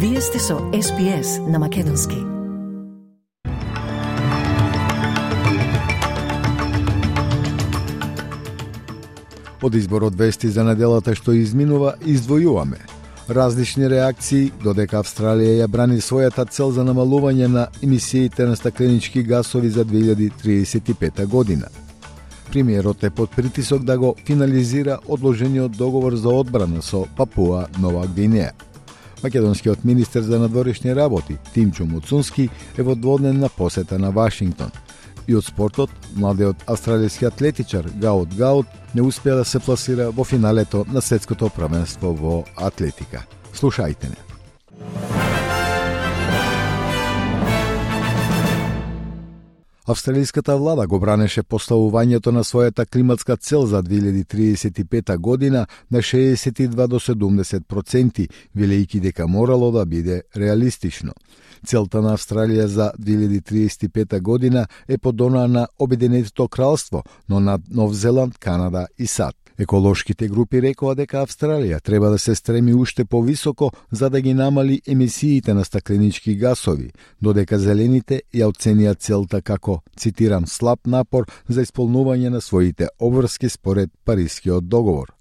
Вие сте со SPS на Македонски. Од изборот вести за неделата што изминува, издвојуваме различни реакции, додека Австралија ја брани својата цел за намалување на емисиите на стакленички гасови за 2035 година. Премиерот е под притисок да го финализира одложениот договор за одбрана со Папуа Нова Гвинеја. Македонскиот министер за надворешни работи Тимчо Муцунски е во дводневна посета на Вашингтон. И од спортот, младиот австралијски атлетичар Гаут Гаут не успеа да се пласира во финалето на светското првенство во атлетика. Слушајте не. Австралиската влада го бранеше поставувањето на својата климатска цел за 2035 година на 62 до 70%, велејќи дека морало да биде реалистично. Целта на Австралија за 2035 година е подонаа на Обединетото кралство, но над Нов Зеланд, Канада и САД. Еколошките групи рекоа дека Австралија треба да се стреми уште повисоко за да ги намали емисиите на стакленички гасови, додека зелените ја оценија целта како, цитирам, слаб напор за исполнување на своите обврски според Парискиот договор.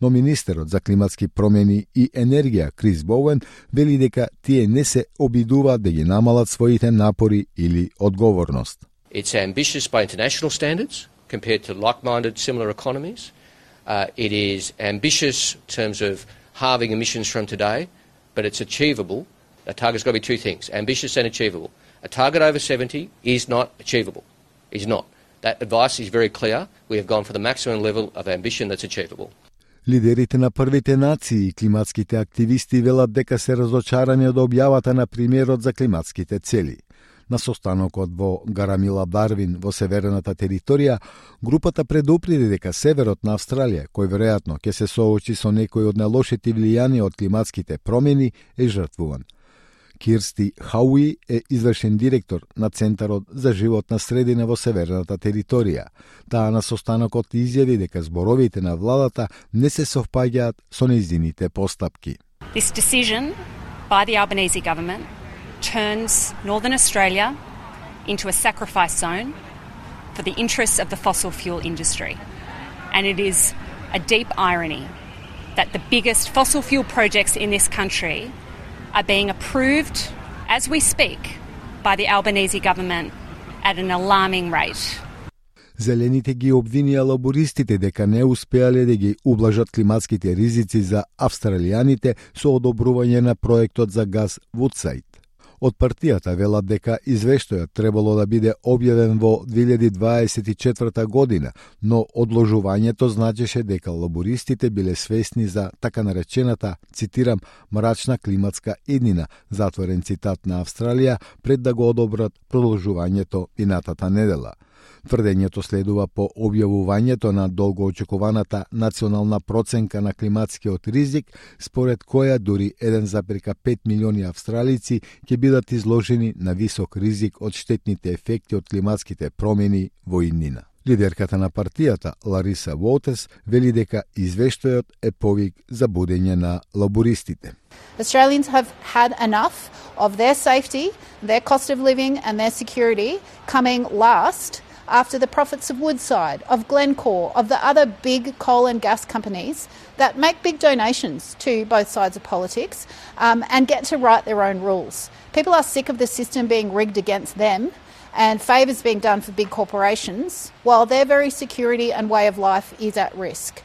Но министерот за климатски промени и енергија Крис Боуен вели дека тие не се обидуваат да ги намалат своите напори или одговорност. It's ambitious by international standards compared to like-minded similar economies. It is ambitious in terms of halving emissions from today, but it's achievable. A target's got to be two things, ambitious and achievable. A target over 70 is not achievable. Is not. That advice is very clear. We have gone for the maximum level of ambition that's achievable. Лидерите на првите нации и климатските активисти велат дека се разочарани од објавата на премиерот за климатските цели. На состанокот во Гарамила Дарвин во северната територија, групата предупреди дека северот на Австралија, кој веројатно ќе се соочи со некои од најлошите влијанија од климатските промени, е жртвуван. Кирсти Хауи е извршен директор на Центарот за животна средина во северната територија. Таа на состанокот изјави дека зборовите на владата не се совпаѓаат со нејзините постапки. This decision by the Albanese government turns Northern Australia into a sacrifice zone for the interests of the fossil fuel industry. And it is a deep irony that the biggest fossil fuel projects in this country are being approved as we speak by the Albanese government at an alarming rate. Зелените ги обвинија лабористите дека не успеале да ги ублажат климатските ризици за австралијаните со одобрување на проектот за газ Вудсайд. Од партијата велат дека извештајот требало да биде објавен во 2024 година, но одложувањето значеше дека лабористите биле свесни за така наречената, цитирам, мрачна климатска иднина, затворен цитат на Австралија, пред да го одобрат продолжувањето минатата недела. Тврдењето следува по објавувањето на долгоочекуваната национална проценка на климатскиот ризик, според која дури 1,5 милиони австралици ќе бидат изложени на висок ризик од штетните ефекти од климатските промени во иднина. Лидерката на партијата, Лариса Уолтес, вели дека извештајот е повик за будење на лабористите. Australians have had enough of their safety, their cost of living and their security coming last after the profits of Woodside, of Glencore, of the other big coal and gas companies that make big donations to both sides of politics and get to write their own rules. People are sick of the system being rigged against them and favours being done for big corporations, while their very security and way of life is at risk.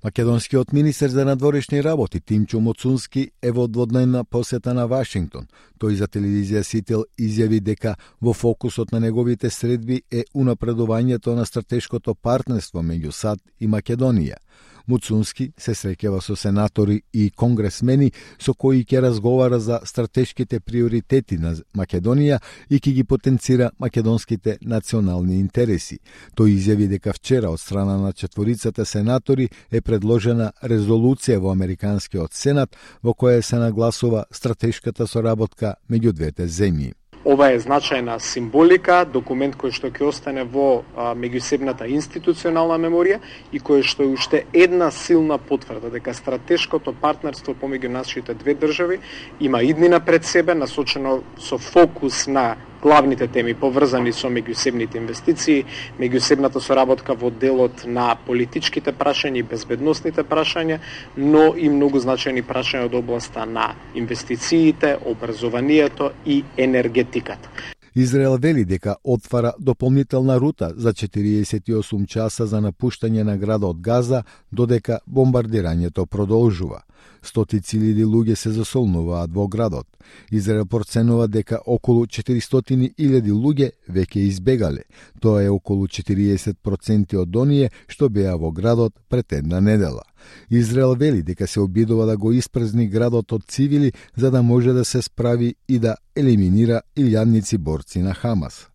Македонскиот министер за надворешни работи Тимчо Муцунски е во дводневна посета на Вашингтон. Тој за телевизија Сител изјави дека во фокусот на неговите средби е унапредувањето на стратешкото партнерство меѓу САД и Македонија. Муцунски се среќава со сенатори и конгресмени со кои ќе разговара за стратешките приоритети на Македонија и ќе ги потенцира македонските национални интереси. Тој изјави дека вчера од страна на четворицата сенатори е предложена резолуција во Американскиот сенат во која се нагласува стратешката соработка меѓу двете земји. Ова е значајна символика, документ кој што ќе остане во меѓусебната институционална меморија и кој што е уште една силна потврда дека стратешкото партнерство помеѓу нашите две држави има иднина пред себе, насочено со фокус на главните теми поврзани со меѓусебните инвестиции, меѓусебната соработка во делот на политичките прашања и безбедносните прашања, но и многу значајни прашања од областа на инвестициите, образованието и енергетиката. Израел вели дека отвара дополнителна рута за 48 часа за напуштање на градот Газа, додека бомбардирањето продолжува. Стотици илјади луѓе се засолнуваат во градот. Израел проценува дека околу 400.000 луѓе веќе избегале. Тоа е околу 40% од оние што беа во градот пред една недела. Израел вели дека се обидува да го испразни градот од цивили за да може да се справи и да елиминира илјадници борци на Хамас.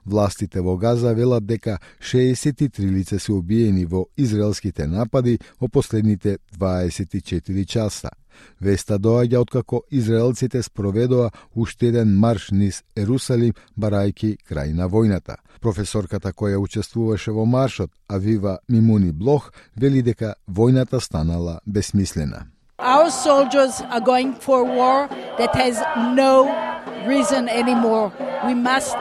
Властите во Газа велат дека 63 лица се убиени во израелските напади во последните 24 часа. Веста доаѓа откако израелците спроведоа уште еден марш низ Ерусалим, барајки крај на војната. Професорката која учествуваше во маршот, Авива Мимуни Блох, вели дека војната станала безсмислена. Our soldiers are going for a war that has no reason anymore. We must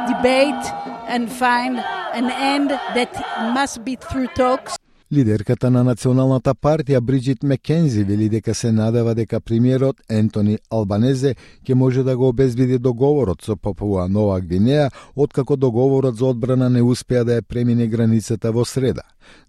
debate and find an end that must be through talks. Лидерката на Националната партија Бриджит Мекензи вели дека се надева дека премиерот Ентони Албанезе ќе може да го обезбеди договорот со Папуа Нова Гвинеја, откако договорот за одбрана не успеа да ја премине границата во среда.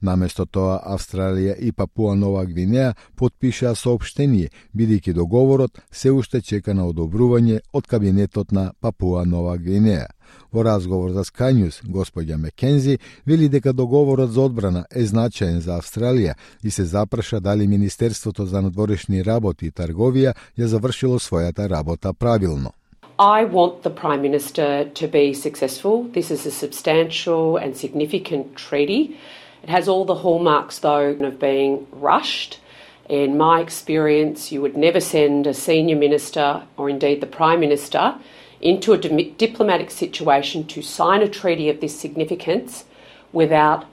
Наместо тоа, Австралија и Папуа Нова Гвинеја потпишаа соопштение, бидејќи договорот се уште чека на одобрување од кабинетот на Папуа Нова Гвинеја. Во разговор за Sky News, господја Мекензи вели дека договорот за одбрана е значаен за Австралија и се запраша дали Министерството за надворешни работи и трговија ја завршило својата работа правилно. I want the Prime Minister to be successful. This is a substantial and significant treaty. It has all the hallmarks, though, of being rushed. In my experience, you would never send a senior minister, or indeed the Prime Minister, into a diplomatic situation to sign a treaty of this significance without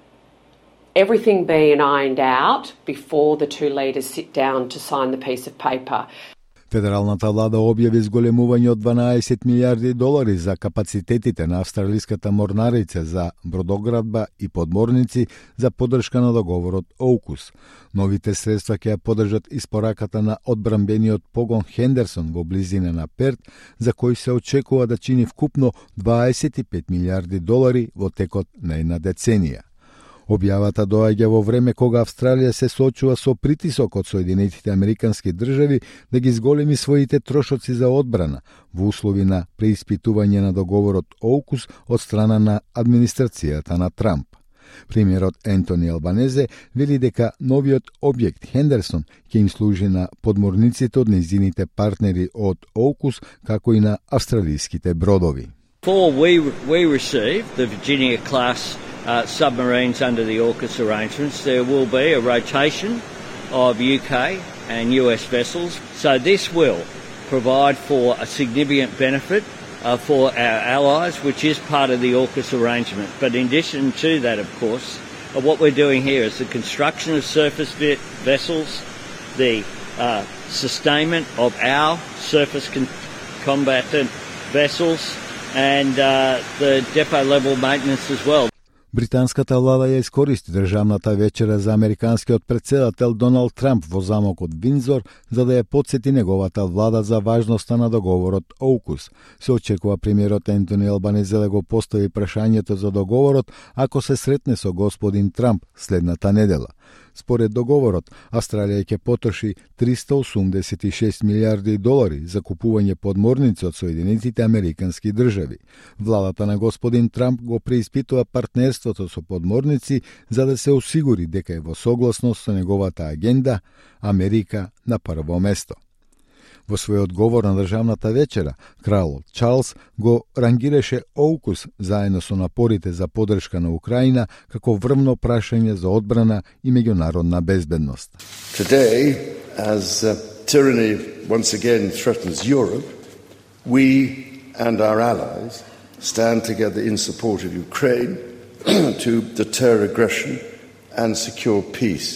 everything being ironed out before the two leaders sit down to sign the piece of paper. Федералната влада објави зголемување од 12 милиарди долари за капацитетите на австралиската морнарица за бродоградба и подморници за поддршка на договорот AUKUS. Новите средства ќе ја поддржат испораката на одбранбениот погон Хендерсон во близина на Перт, за кој се очекува да чини вкупно 25 милиарди долари во текот на една деценија. Објавата доаѓа во време кога Австралија се соочува со притисок од Соединетите Американски држави да ги зголеми своите трошоци за одбрана во услови на преиспитување на договорот AUKUS од страна на администрацијата на Трамп. Премиерот Ентони Албанезе вели дека новиот објект Хендерсон ќе им служи на подморниците од нејзините партнери од AUKUS, како и на австралиските бродови. We received the Virginia-class submarines under the AUKUS arrangements. There will be a rotation of UK and US vessels. So this will provide for a significant benefit for our allies, which is part of the AUKUS arrangement. But in addition to that, of course, what we're doing here is the construction of surface vessels, the sustainment of our surface combatant vessels, and the depot level maintenance as well. Британската влада ја искористи државната вечера за американскиот претседател Доналд Трамп во замокот Виндзор за да ја потсети неговата влада за важноста на договорот AUKUS. Се очекува премиерот Ентони Албанезе да го постави прашањето за договорот ако се сретне со господин Трамп следната недела. Според договорот, Австралија ќе потроши 386 милиарди долари за купување подморници од Соединетите Американски држави. Владата на господин Трамп го преиспитува партнерството со подморници за да се осигури дека е во согласност со неговата агенда Америка на прво место. Во свој одговор на државната вечера, кралот Чарлс го рангираше AUKUS заедно со напорите за поддршка на Украина како врвно прашање за одбрана и меѓународна безбедност. Today, as tyranny once again threatens Europe, we and our allies stand together in support of Ukraine to deter aggression and secure peace.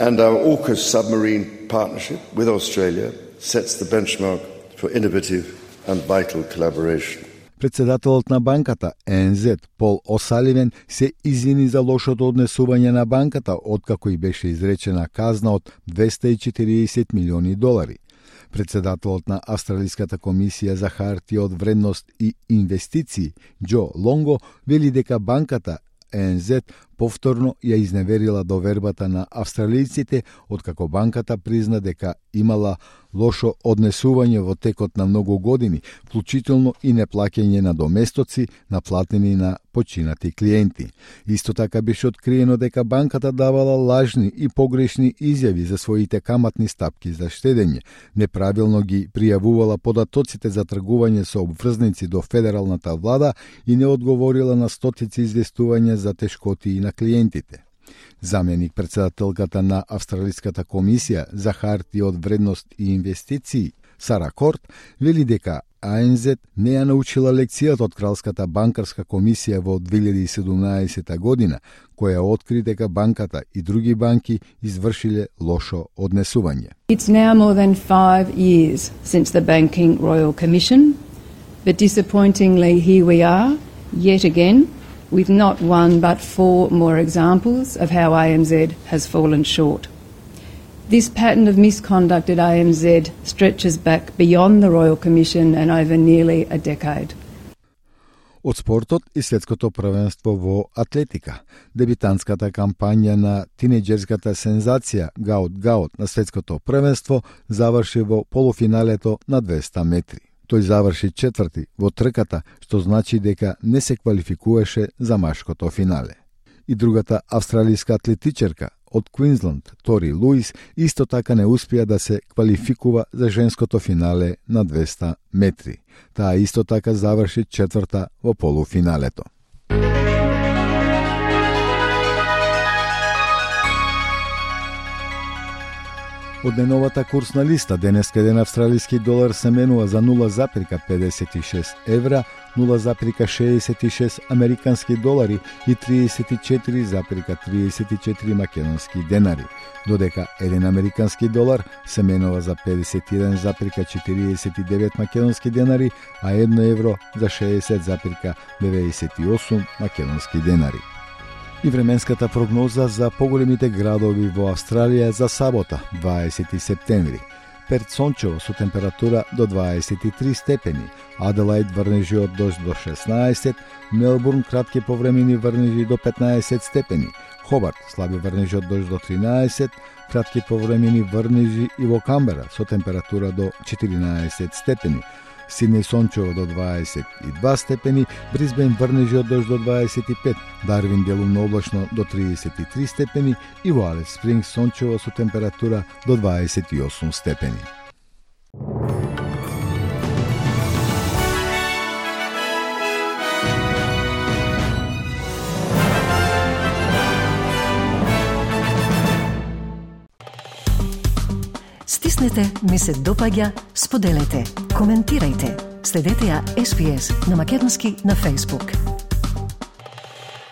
And our AUKUS submarine partnership with Australia sets the benchmark for innovative and vital collaboration. Председателот на банката ЕНЗ Пол Осаливен се извини за лошото однесување на банката откако и беше изречена казна од $240 милиони. Председателот на Австралиската комисија за хартија од вредност и инвестиции Џо Лонго вели дека банката ЕНЗ повторно ја изневерила довербата на австралијците откако банката призна дека имала лошо однесување во текот на многу години, вклучително и неплаќање на доместоци наплатени на починати клиенти. Исто така беше откриено дека банката давала лажни и погрешни изјави за своите каматни стапки за штедење, неправилно ги пријавувала податоците за тргување со обврзници до федералната влада и не одговорила на стотици известувања за тешкоти на клиентите. Заменик председателката на Австралиската комисија за хартија од вредност и инвестиции Сара Корт вели дека АНЗ не ја научила лекцијата од Кралската банкарска комисија во 2017 година, која откри дека банката и други банки извршиле лошо однесување. It's now more than 5 years since the Banking Royal Commission, but disappointingly here we are, yet again, with not one but 4 more examples of how ANZ has fallen short. This pattern of misconduct at ANZ stretches back beyond the Royal Commission and over nearly a decade. Од спортот и светското првенство во атлетика. Дебитантската кампања на тинеџерската сензација Гаут на светското првенство заврши во полуфиналето на 200 метри. Тој заврши четврти во трката, што значи дека не се квалификуваше за машкото финале. И другата австралијска атлетичарка од Квинсланд, Тори Луис, исто така не успеа да се квалификува за женското финале на 200 метри. Таа исто така заврши четврта во полуфиналето. Од деновата курсна листа, денеска еден австралиски долар се менува за 0,56 евра, 0,66 американски долари и 34,34 македонски денари, додека еден американски долар се менува за 51,49 македонски денари, а 1 евро за 60,98 македонски денари. И временската прогноза за поголемите градови во Австралија за сабота, 20 септември. Перт сончево со температура до 23 степени, Аделаид врнежи од дожд до 16, Мелбурн кратки повремени врнежи до 15 степени, Хобарт слаби врнежи од дожд до 13, кратки повремени врнежи и во Камбера со температура до 14 степени, Сиднеј сончево до 22 степени, Брисбен врнежи од дожд до 25, Дарвин делумно облачно до 33 степени и во Алис Спрингс сончево со температура до 28 степени. Стиснете, ми се допаѓа, споделете, коментирајте. Следете ја SPS на Македонски на Facebook.